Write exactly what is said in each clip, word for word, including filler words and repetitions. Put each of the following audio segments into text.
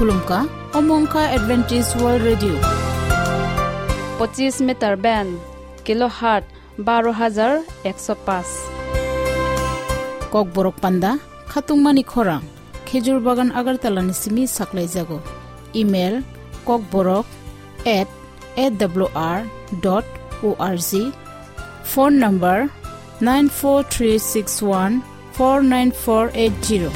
Khulumkha, omo wngkha Adventist World Radio. Pochis meter band, kilohertz baro hajar ekso paanch. Kokborok panda, khatungmani khorang, Khejur Bagan Agartala ni simi saklaijago. Email, kokborok at A W R dot org. Phone number, nine four three six one four nine four eight zero.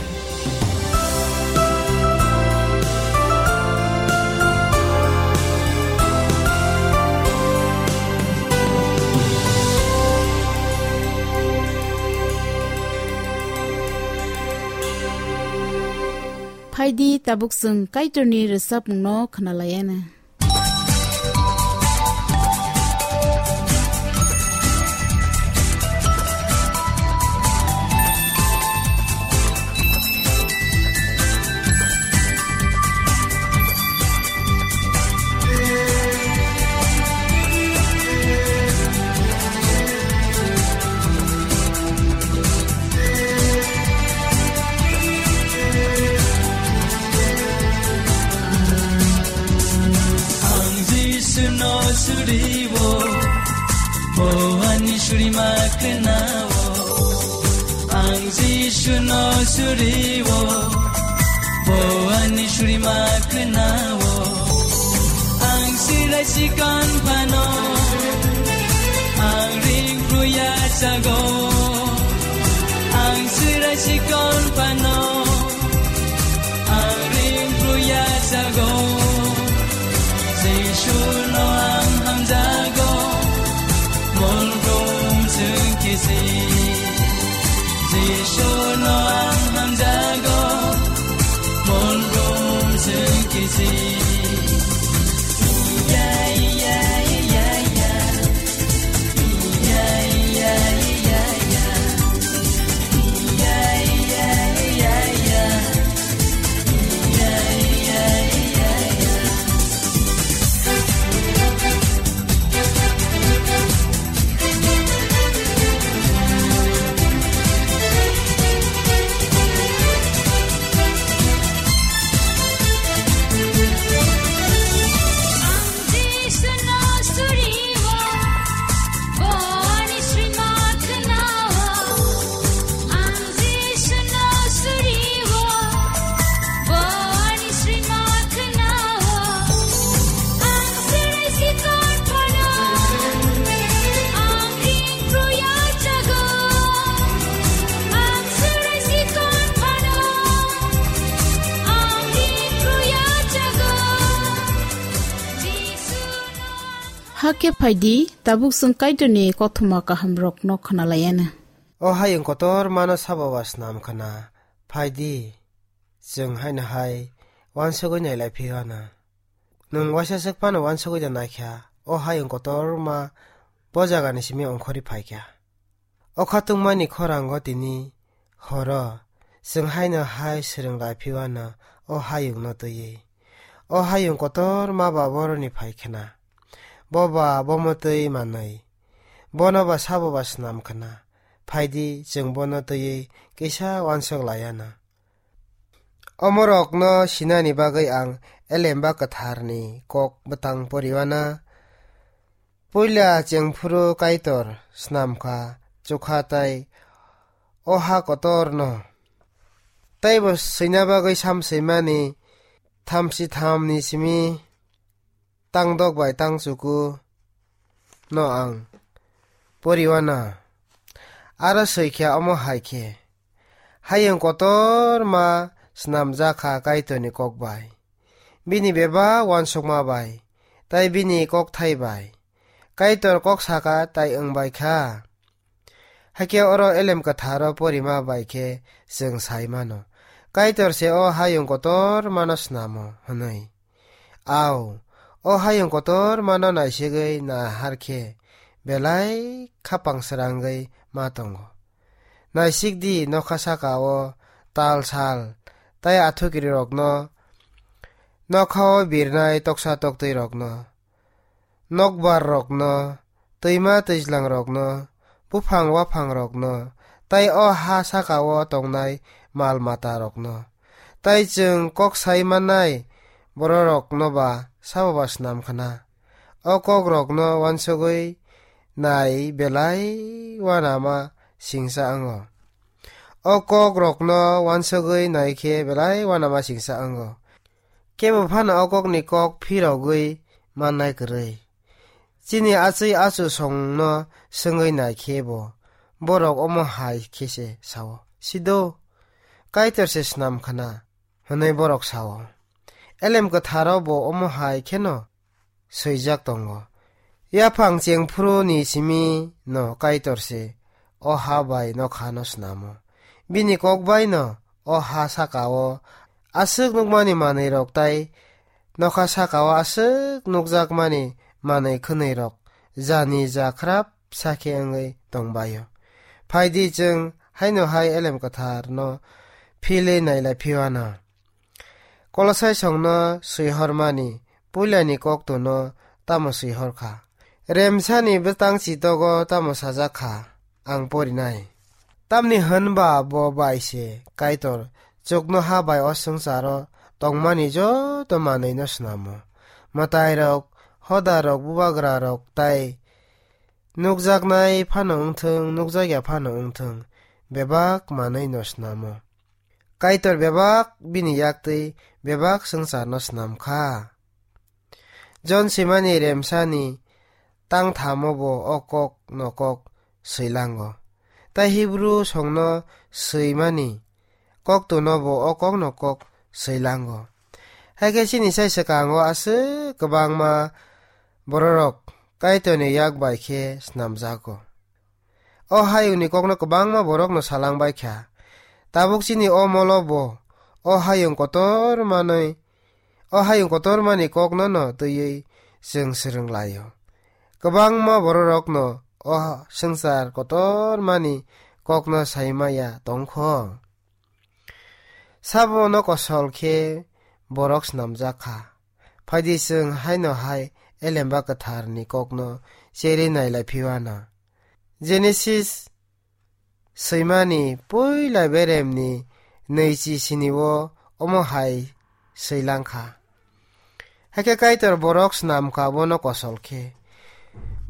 Phaidi tabuk chwng Kaitorni rwchapmungno khwnalaiana. Ang Jisuno suriwo, bo ani surima kwnao. Ang Jisuno suriwo, bo ani surima kwnao. Ang sirai sikon phano, ang ring pruya sago. Ang sirai sikon phano, ang ring pruya sago. Jisuno ang hamjago, molgom sengkisi. Jisuno ang hamjago, molgom sengkisi. Ya, ya, ya, ya. Hakhe phaidi, tabuk chwng Kaitorni kothoma kahamrokno khwnalaiana. O hayung kotor mano sabo ba snam khna, phaidi, chwng haino hai uansugwi nailai phiyana. Nwng waisa swk phano uansugwi da naikha, o hayung kotorma bo jagani simi ongkhorwi phaikha. O khatungmani khorango tini horo chwng haino hai swrwng lai phiyano o hayungno twiwi. O hayung kotorma ba boroni phai khna. Bo ba bomo twi manwi. Bono ba sabo ba snam khna. Phaidi chwng bono twiwi kisa uansuk laiana. Omorokno sinani bagwi ang Elemba Kwtharni kok bwtang poriwana. Puila chengphuru Kaitor snamkha, chukha tai o ha kotorno. Taibo swina bagwi sam swimani thamsi thamni simi tangdok bai tangchuku no ang poriwana. Aro swikhya omo hai khe, hayung kotorma snamjakha Kaitorni kok bai. Bini bebak uansukma bai, tai bini kokthai bai. Kaitor kok saka tai wng bai kha. Hakhe oro Elem Kwtharo porima bai khe chwng sai mano, Kaitor se o hayung kotormano snamo hwnwi. Au, o hayung kotormano naisigwi nahar khe belai khapang srangwi ma tongo. Naisik di, nokha saka-o tal sal tai athukirirokno nokha-o birnai toksa toktwirokno, nokbar rokno, twima twijlang rokno, buphang waphang rokno, tai o ha saka-o tongnai mal mata rokno. Tai chwng kok sai mannai bororokno ba sabo ba snam khna. O kok rokno uansugwi nai belai uanama singsa wngo. O kok rokno uansugwi nai khe belai uanama singsa wngo. Kebo phano o kokni kok phirogwi mannai kwrwi. Chini achwi achu songno swngwi nai khe bo, borok omo hai khe se sao, "Sido, Kaitor se snam khna," hwnwi borok sao. Elem Kwtharo bo omo hai kheno swijak tongo, "Yaphang chengphuru ni simi no Kaitor se o ha bai nokha no snamo. Bini kok bai no o ha saka o aswk nukmani manwi rok tai nokha saka o aswk nukjakmani manwi khwnwi rok jani ja khrap sakhe wngwi tongbaio. Phaidi chwng haino hai Elem Kwthar no philwi nailai phiwano." Kolosai songno swihormani puilani koktono tamo swihor kha? Remsani bwtang chitogo tamo sajak kha? Ang porinai. Tamni hwnba bo bai se Kaitor chuknoha bai o swngcharo tongmani joto manwino snamo. Mwtairok, hodarok, bubagrarok tai nukjaknai phano wngthung, nukjakya phano wngthung, bebak manwino snamo. Kaitor bebak bini yaktwi bebak swngcharno snam kha. Jon swimani remsani tangthamo bo o kok no kok swilango. Tai Hibru songno swimani koktono bo o kok no kok swilango. Haikhe chini sai swkango aswk kwbangma bororok Kaitorni yak bai khe snamjago. O hayungni kokno kwbangma borokno salang bai kha. Tabuk chini o molo bo o hayung kotor manwi, o hayung kotor mani kokno no twiwi chwng swrwng laio. Kwbangma bororokno o swngchar kotor mani kokno sai maya tongkho. Sabono kosol khe borok snamjak kha. Phaidi chwng haino hai Elemba Kwtharni kokno cherwi nailai phiwana. Genesis swimani puila beremni nwichi sinio omo hai swilang kha. Hakhe Kaitor borok snam kha bono kosol khe.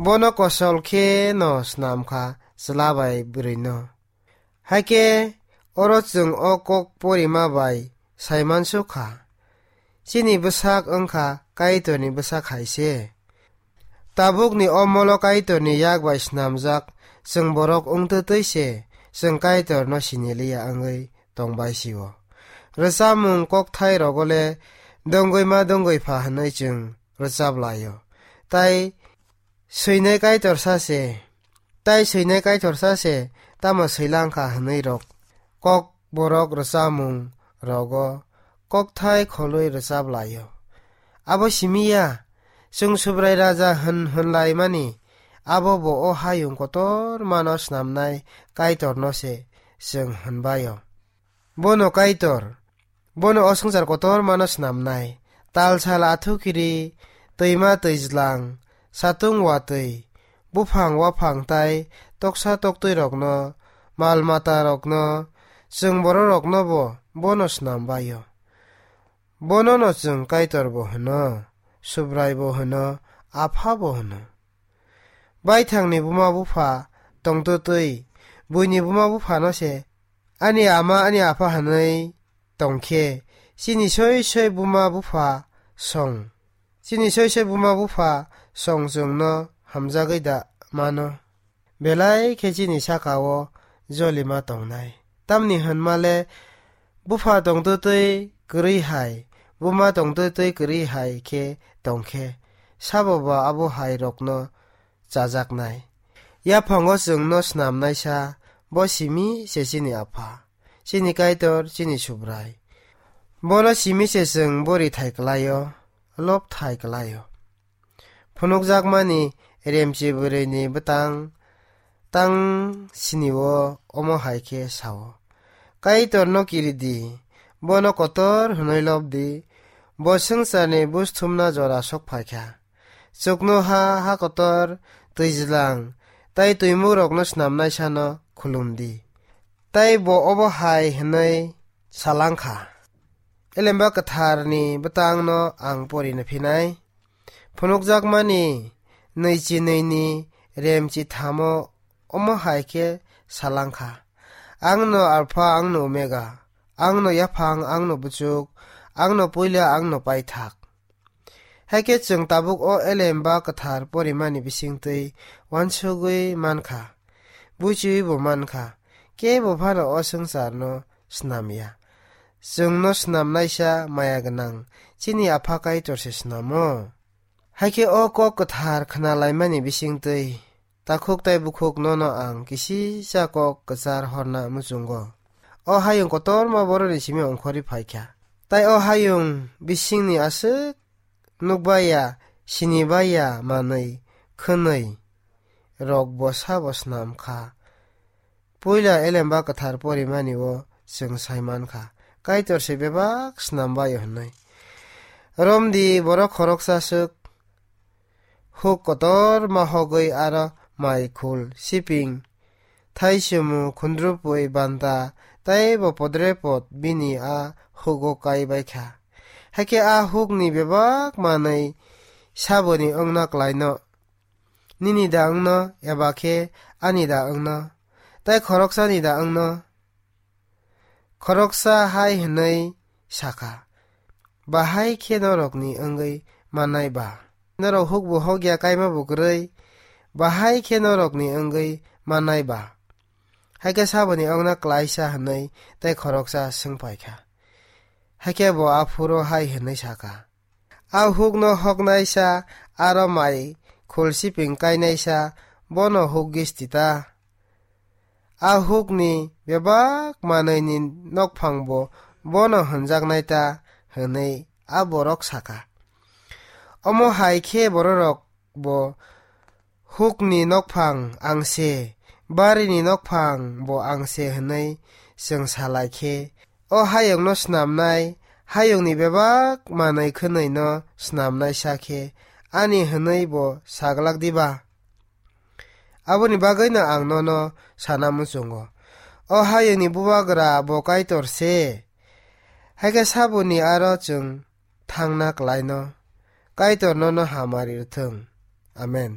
Bono kosol khe no snam kha chwla bai bwrwino. Hakhe oro chwng o kok porima bai saimansuk kha, chini bwsak wngkha Kaitorni bwsak hai se. Tabukni o molo Kaitorni yak bai snamjak chwng borok wngtwtwi se chwng Kaitorno siniliya wngwi tongbai sio. Rwchapmung kokthai rogo le dongwi ma dongwi pha hwnwi chwng rwchap laio. Tai swinai Kaitor sa se, tai swinai Kaitor sa se, tamo swilang kha hwnwi rok kok borok rwchapmung rogo kokthai kholwi rwchap laio. Abo simi ya, chwng Subrai Raja hwn hwnlaimani, abo bo o hayung kotor mano snamnai Kaitorno se chwng hwnbaio. Bono Kaitor, bono o swngchar kotor mano snamnai. Tal sal athukiri, twima twijlang, satung watwi, buphang waphang tai toksa toktwi rokno, mal mata rokno, chwng borok rokno bo bono snam baio. Bono no chwng Kaitor bo hwno, Subrai bo hwno, Apha bo hwno. Baithangni buma bupha tongtwtwi, buini buma buphano se ani ama ani apha hwnwi tongkhe, chini soi soi buma bupha song, chini soi soi buma bupha song chwngno hamjagwi da mano. Belai khe chini saka-o jolima tongnai. Tamni hwnma le bupha tongtwtwi kwrwi hai, buma tongtwtwi kwrwi hai khe tongkhe, sabo ba abo hai rokno chajaknai. Yaphango chwngno snamnaisa bo simi se chini Apha, chini Kaitor, chini Subrai. Bono simi se chwng bori thai kwlaio, lob thai kwlaio. Phunukjakmani remchi bwrwini bwtang tang sinio omo hai khe sao, "Kaitorno kiri di, bono kotor hwnwi lob di, Bo swngcharni buj thumna jora sok phaikha. Chuknoha, ha kotor, twijlang, tai twimukrokno snamnaisano khulum di. Tai bo obo hai hwnwi salangkha, Elemba Kwtharni bwtangno ang porina phinai. Phunukjakmani nwichi nwini remchi thamo omo hai khe salangkha, "Angno Alpha, angno Omega, angno yaphang, angno buchuk, angno puila, angno paithak." Hai khe chwng tabuk o Elemba Kwthar porimani bisingtwi uansugwi mankha, buchiwi bo mankha, kebo phano o swngcharno snamya. Chwngno snamnaisa maya gwnang chini Apha Kaitorse snamo. Hai khe o kok kwthar khnalaimani bisingtwi takhuk tai bukhuk nono ang kisisa kok kwchar horna muchungo. O hayung kotorma boroni simi ongkhorwi phaikha. Tai o hayung bisingni aswk nukbaiya, sinibaiya manwi khwnwi rokbo sabo snam kha. Puila Elemba Kwthar porimani o chwng sai mankha, Kaitor se bebak snam bai-o hwnwi. Romdi borok khoroksa swk huk kotorma hogwi aro mai khul, siping, thaichumu, khundrupui, banta, tei bo podrepot bini a hugo kai bai kha. Hakhe a hukni bebak manwi saboni wngna klaino. Nini da wngno, eba khe ani da wngno, tei khoroksani da wngno? Khoroksa hai hwnwi sakha, "Bahai khe norokni wngwi mannai ba? Norok hukbo hokya, kaimabo kwrwi, bahai khe norokni wngwi mannai ba?" Hai khe saboni wngna klaisa hwnwi tei khoroksa swng pai kha. Hai khe bo aphuru hai hwnwi sakha, "A hukno hoknaisa, aro mai khulsiping kainaisa, bono huk gisti ta? A hukni bebak manwini nokphangbo bono hwnjaknai ta?" hwnwi a borok sakha. Omo hai khe bororok bo hukni nokphang ang se, barini nokphang bo ang se hwnwi chwng sa lai khe, o hayungno snamnai, hayungni bebak manwi khwnwino snamnai sa khe, ani hwnwi bo sa glak diba? Aboni bagwino ang nono sana muchungo, o hayungni bubagra bo Kaitor se. Hai khe saboni aro chwng thangna klaino. Kaitor nono hamari rwthwng. Amen.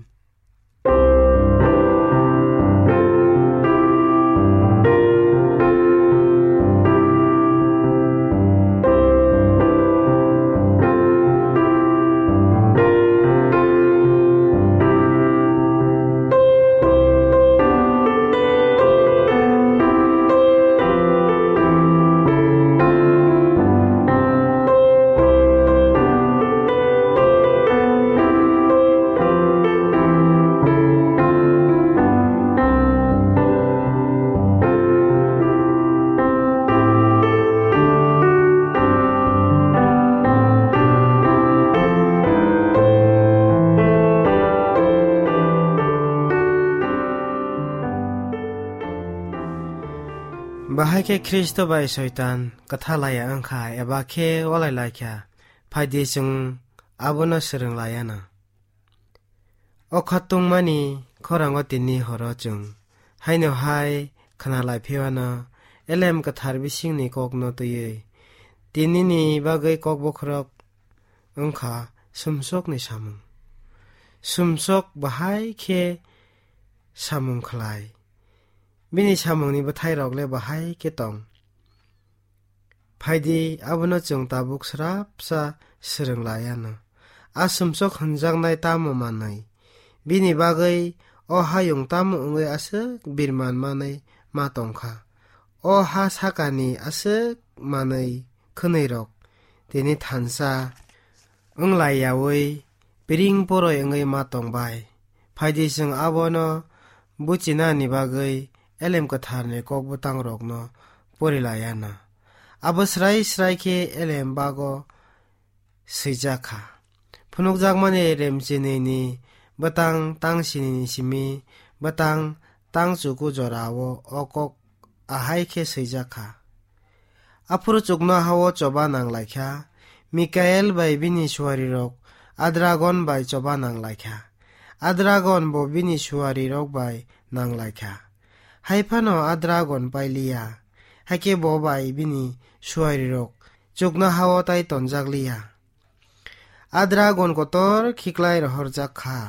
Bahai khe Khristo bai Soitan kwtha laiya wngkha eba khe walai laikha, phaidi chwng abono swrwng laiya na. O khatungmani khorango tini horo chwng haino hai khna lai phiyano Elem Kwthar bisingni kokno twiwi tinini bagwi kok bokhorok wngkha sumsokni samung. Sumsok bahai khe samung khlai, bini samungni bwthairok le bahai khe tong. Phaidi, abono chwng tabuk srapsa swrwng lai anw. A sumsok hwnjaknai tamo manwi? Bini bagwi o hayung tamo wngwi aswk birman manwi ma tong kha? O ha sakani aswk manwi khwnwirok tini thansa wng lai yaui piring poroi wngwi ma tong bai. Phaidi, chwng abono buchinani bagwi Elem Kwtharni kok bwtangrokno pori lai anw. Abo srai srai khe Elem bago swijak kha. Phunukjakmani remchinini bwtang tang sinini simi bwtang tang chuku jorao o kok ahai khe swijak kha. Aphuru chuknoha-o choba nang lai kha, Mikael bai bini suarirok a dragon bai choba nang lai kha. A dragon bo bini suarirok bai nang lai kha. Hai phano a dragon pai li ya, hakhe bo bai bini suarirok chuknoha-o tai tonjak li ya. A dragon kotor khiklai rohorjak kha.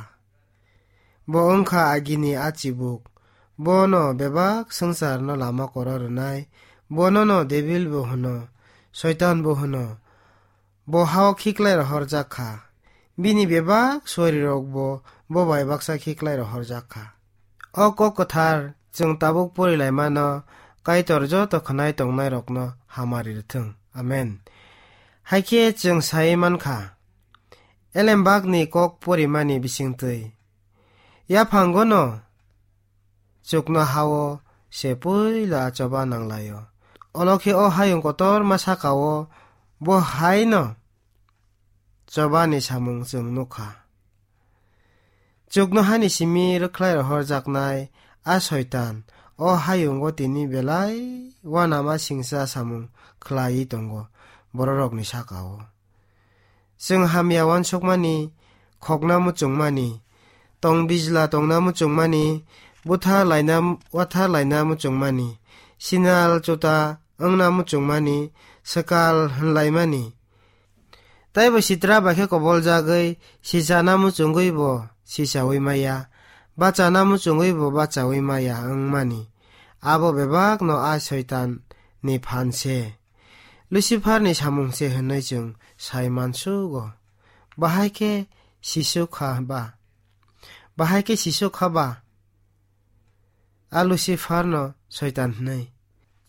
Bo wng kha agini a chibuk. Bono bebak swngcharno lama koro rwnai. Bonono Debil bo hwno, Soitan bo hwno. Bo ha-o khiklai rohorjak kha. Bini bebak suarirokbo bo bai baksa khiklai rohorjak kha. O kok kwthar chwng tabuk porilaimano Kaitor joto khwnai tongnairokno hamari rwthwng. Amen. Hakhe chwng sai man kha, Elembakni kok porimani bisingtwi, yaphangono chuknoha-o se puila choba nang lai-o. Olo khe o hayung kotorma saka-o bo haino chobani samung chwng nukha. Chuknohani simi rwkhlai rohorjaknai a Soitan o hayungo tini belai uanama singcha samung khlaiwi tongo bororokni saka-o. Chwng hamya uansukmani, khokna muchungmani, tong bijla tongna muchungmani, buthar laina, uathar laina muchungmani, sinal chuta wngna muchungmani, swkal hwnlaimani. Taibo sitra bai khe koboljagwi sichana muchungwi bo sichawi maya, bachana muchungwi bo bachawi maya wngmani. Abo bebakno a Soitan ni phan se, Lucifer ni samung se hwnwi chwng sai mansugo. Bahai khe sisuk kha ba? Bahai khe sisuk kha ba? A Lucifer no Soitan hwnwi.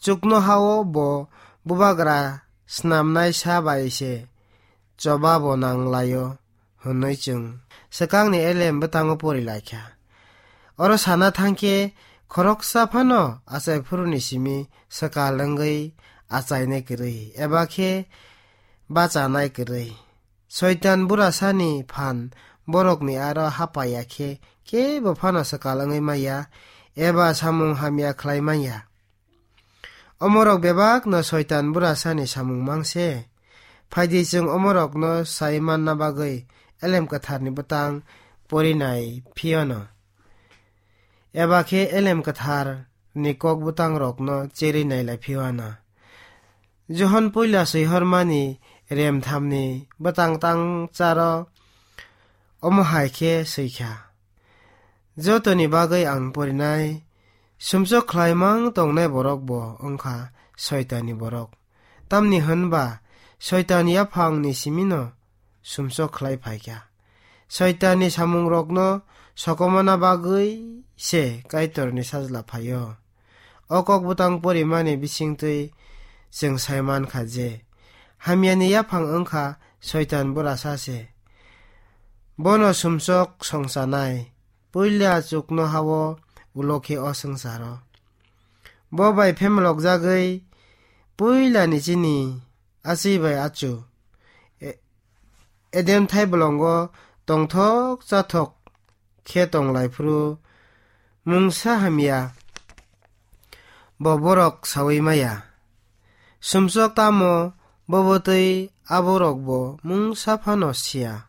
Chuknoha-o bo bubagra snamnai sa bai se choba bo nang lai-o hwnwi chwng swkangni elem bwtango pori lai kha. Oro sana thang khe khoroksa phano achai phuruni simi swkal wngwi achainai kwrwi eba khe bachanai kwrwi. Soitan burasani phan borokni aro hapaiya khe kebo phano swkal wngwi manya eba samung hamya khlai manya. Omorok bebakno Soitan burasani samung mang se. Phaidi chwng omorokno sai manna bagwi Elem Kwtharni bwtang porinai phiyano, eba khe Elem Kwtharni kok bwtangrokno cherwi nailai phiyano. Johon puila swihormani remthamni bwtang tang charo omo hai khe swikha, "Jotoni bagwi ang porinai, sumsok khlaimang tongnai borok bo wngkha Soitanni borok. Tamni hwnba Soitan yaphangni simino sumsok khlai phaikha. Soitanni samungrokno sokomona bagwi se Kaitorni Sajla phaio." O kok bwtang porimani bisingtwi chwng sai mankha je, hamyani yaphang wngkha Soitan burasa se. Bono sumsok songchanai, puila chuknoha-o, ulo khe o swngcharo. Bo bai phemlokjagwi puilani chini achi bai achu, E-, Eden thaibolongo tongthok chathok khe tong lai phuru mungsa hamya bo borok saui maya. Sumsok tamo bobo twi aborok bo mungsa phano siya.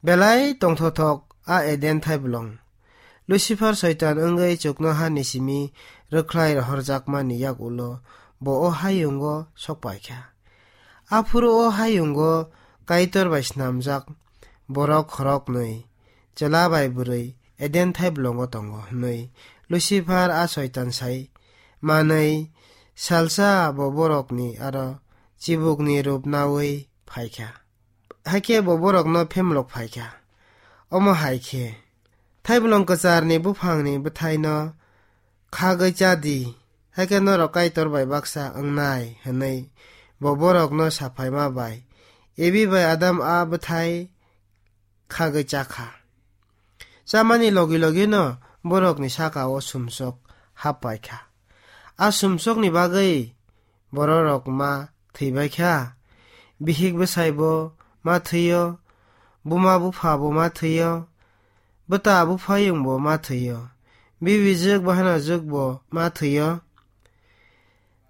Belai tongthothok a Eden thaibolong. Lucifer Soitan wngwi chuknohani simi rwkhlai rohorjakmani yak ulo bo o hayungo sok paikha. Aphuru o hayungo Kaitor bai snamjak borok khoroknwi, chwla bai bwrwi Eden thaibolongo tongo hwnwi Lucifer a Soitan sai manwi salsa bo borokni aro chibukni rup naui phaikha. Hakhe bo borokno phemlok phaikha. Omo hai khe, "Thaibolong kwcharni buphangni bwthaino khagwi cha di, hakhe norok Kaitor bai baksa wngnai," hwnwi bo borokno saphaima bai Ebi bai Adam a bwthai khagwi cha kha. Chamani logi logino borokni saka-o sumsok hap pai kha. A sumsokni bagwi bororok ma thwi bai kha. Bihik bwsai bo ma thwi-o, buma bupha bo ma thwi-o, bwta buphayung bo ma thwi-o, bibi jwk bahanajwk bo ma thwi-o.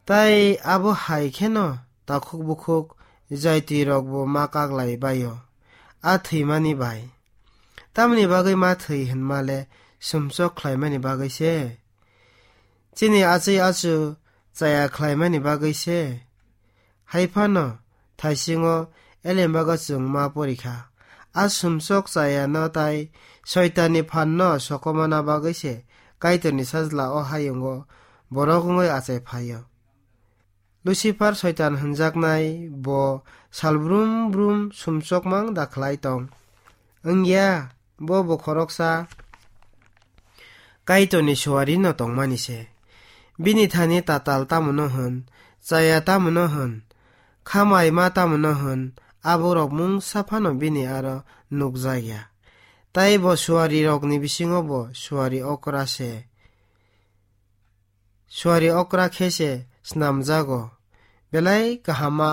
Tai abo hai kheno takhuk bukhuk jaiti rokbo ma kaklai bai-o, a thwimani bai. Tamoni bagwi ma thwi hwnma le sumsok khlaimani bagwi se. Chini achai achu chaya khlaimani bagwi se. Hai phano thaisingo elembago chwng ma pori kha. A sumsok chayano tai Soitanni phanno sokomana bagwi se Kaitorni Sajla o hayungo borok wngwi achai phaio. Lucifer Soitan hwnjaknai bo sal brum brum sumsokmang da khlai tong. Wngya, bo bo khoroksa Kaitorni suarino tongmani se. Bini thani tatal tamono hwn, chaya tamono hwn, khamai ma tamono hwn, aborok mungsa phano bini aro nukjakya. Tai bo suarirokni bisingo bo suari okra se. Suari okra khe se snamjago, belai kahama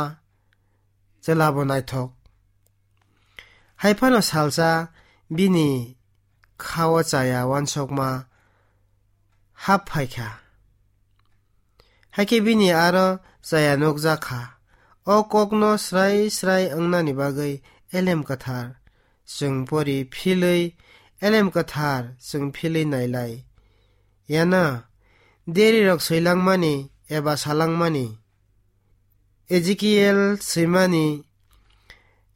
chwlabo naithok. Hai phano salsa bini khao chaya uansukma hap phai kha. Hakhe bini aro chaya nukjak kha. O kokno srai srai wngnani bagwi elem kwthar chwng pori philwi, elem kwthar chwng philwi nailai. Yana, derirok swilangmani eba salangmani, Ezekiel swimani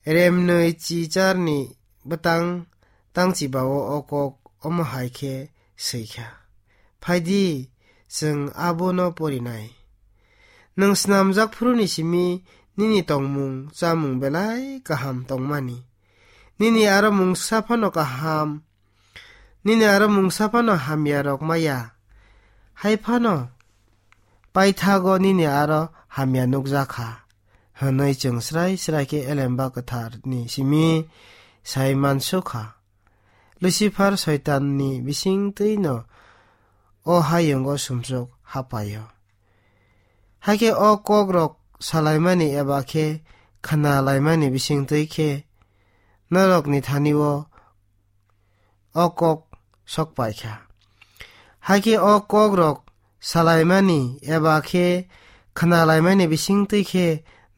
remnwi chicharni bwtang tangchibao o kok omo hai khe swi kha. Phaidi, chwng abono porinai. Nwng snamjak phuruni simi nini tongmung chamung belai kaham tongmani. Nini aro mungsa phano kaham, nini aro mungsa phano hamya rok maya. Hai phano paithago nini aro hamya nukjak kha, hwnwi chwng srai srai khe elemba kwtharni simi sai mansuk kha. Lucifer Soitanni bisingtwino o hayungo sumsok hapaio. Hakhe o kokrok salaimani eba khe khna laimani bisingtwi khe norokni thani-o o kok sok pai kha. Hakhe o kokrok salaimani eba khe khna laimani bisingtwi khe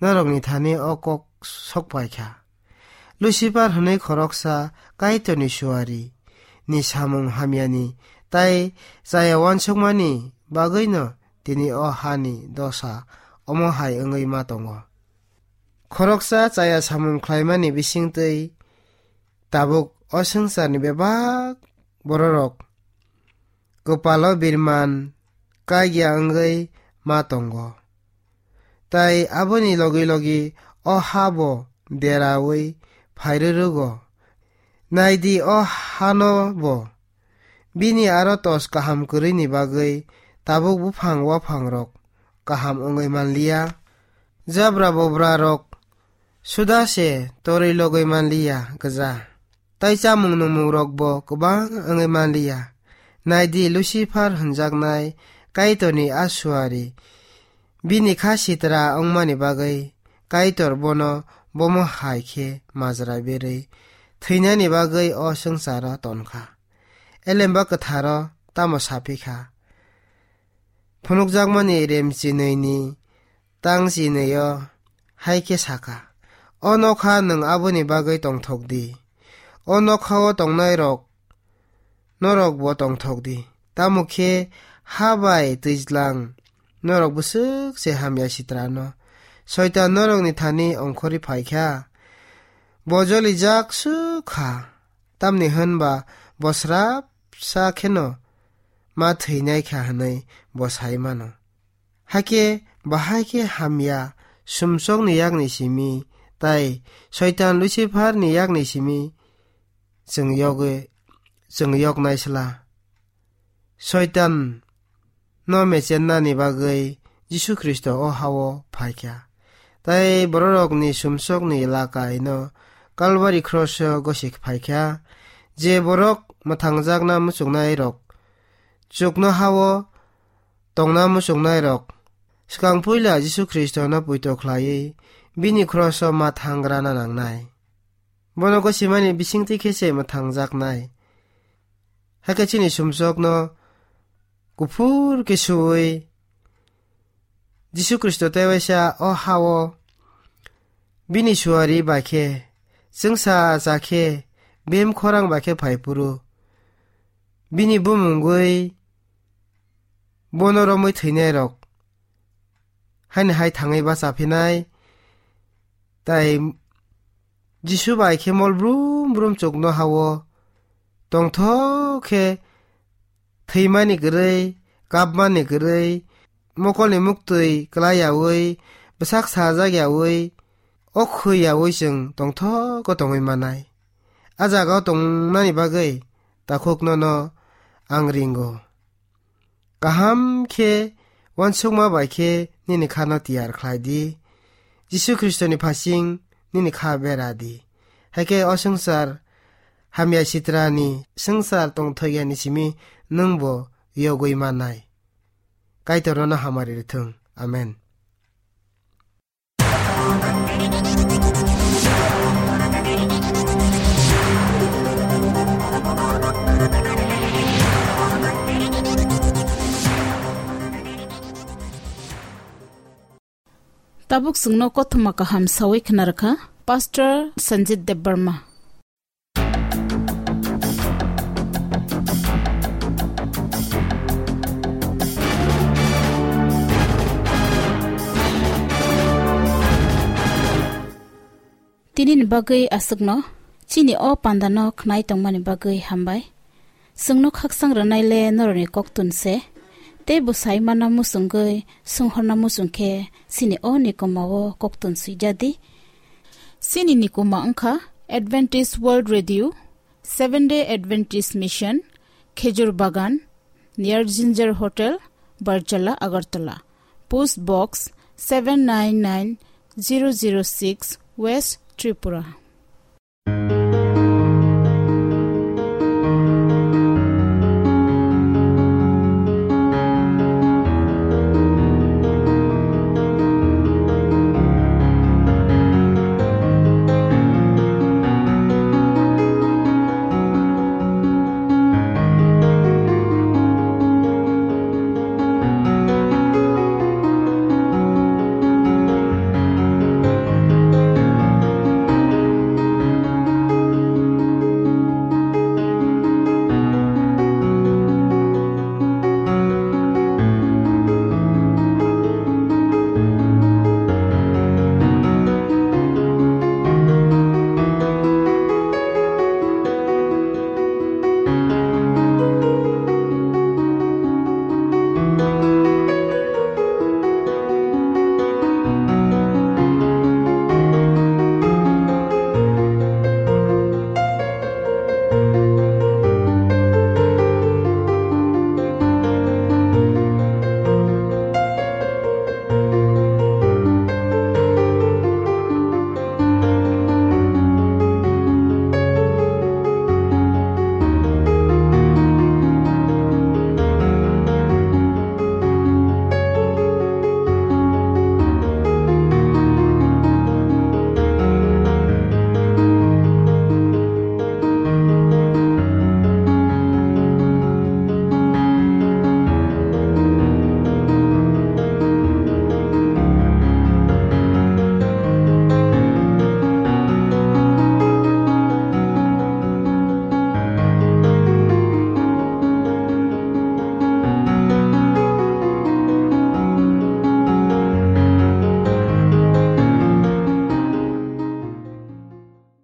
norokni thani o kok sok pai kha. Lucifer hwnwi khoroksa Kaitorni suari ni samung hamyani tai chaya uansukmani bagwino tini o hani dosa omo hai wngwi ma tongo. Khoroksa chaya samung khlaimani bisingtwi tabuk o swngcharni bebak bororok kwpalo birman kagya wngwi ma tongo. Tai aboni logi logi o ha bo deraui phairwrwgo. Naidi, o hano bo bini aro tos kaham kwrwini bagwi tabuk buphang waphangrok kaham wngwi manliya. Jabra bobrarok suda se torwi logwi manliya gwja. Tai chamung nungmungrokbo kwbang wngwi manliya. Naidi, Lucifer hwnjaknai Kaitorni a suari bini kha sitra wngmani bagwi Kaitor bono bomo hai khe majra berwi thwinani bagwi o swngcharo ton kha. Elemba kwtharo tamo sa phi kha? Phunukjakmani remchinwini tangchinwi-o hai khe sa kha, "O nokha nwng aboni bagwi tongthok di. O nokhao tongnairok norokbo tongthok di. Tamo khe ha bai twijlang norok bwswk se hamya sitrano Soitan norokni thani ongkhorwi phai kha. Bo jolijak swk kha, tamni hwn ba bo srapsa kheno ma thwinai kha," hwnwi bo sai mano. Hakhe bahai khe hamya sumsokni yakni simi tai Soitan Luciferni yakni simi chwng yogwi, chwng yoknai sla. Soitan no mechennani bagwi Jisu Khristo o hao phaikha. Tai bororokni sumsokni lakai no Kalvari kroso gosi phaikha. Je borok mwthangjakna muchungnairok, chuknohao tongna muchungnairok, swkang puila Jisu Khristono poito khlaiwi bini kroso ma thangrana nangnai. Bono gosimani bisingtwi khe se mwthangjaknai. Hakhe chini sumsokno kuphur khe suwi Jisu Khristo tewaisa o hao bini suari bai khe, chwngsa cha khe, bem khorang bai khe phai phuru, bini bumungwi bono romwi thwinairok haini hai thangwi bacha phinai, tai Jisu bai khe mol brum brum chukno ha-o, tongthok khe thwimani kwrwi, kapmani kwrwi, mokolni muktwi klai yaui, bwsak sajak yaui, okhoi yaui chwng tongthok o tongwi manai. A jagao tongnani bagwi takhukno no ang ringo. Kaham khe uansukma bai khe nini khano tiyar khlai di. Jisu Khristoni phasing nini kha bera di. Hai khe o swngchar hamya sitrani swngchar tongthokyani simi nwngbo yogwi mannai. Kaitorno hamari rwthwng. Amen. Tabuk chwngno kothoma kaham sawi khna rwkha Pastor Sanjit Debbarma. Tinini bagwi aswkno, chini o pandano khnai tongmani bagwi hambai. Chwngno khakchang rwnaile norokni koktun se, tei bo sai manna muchungwi, swnghorna muchung khe chini o nikoma o koktun swijadi. Chini nikoma wngkha Adventist World Radio, Seventh Day Adventist Mission, Khejur Bagan, near Ginger Hotel, Barjala, Agartala. Post Box seven nine nine zero zero six, West Tripura.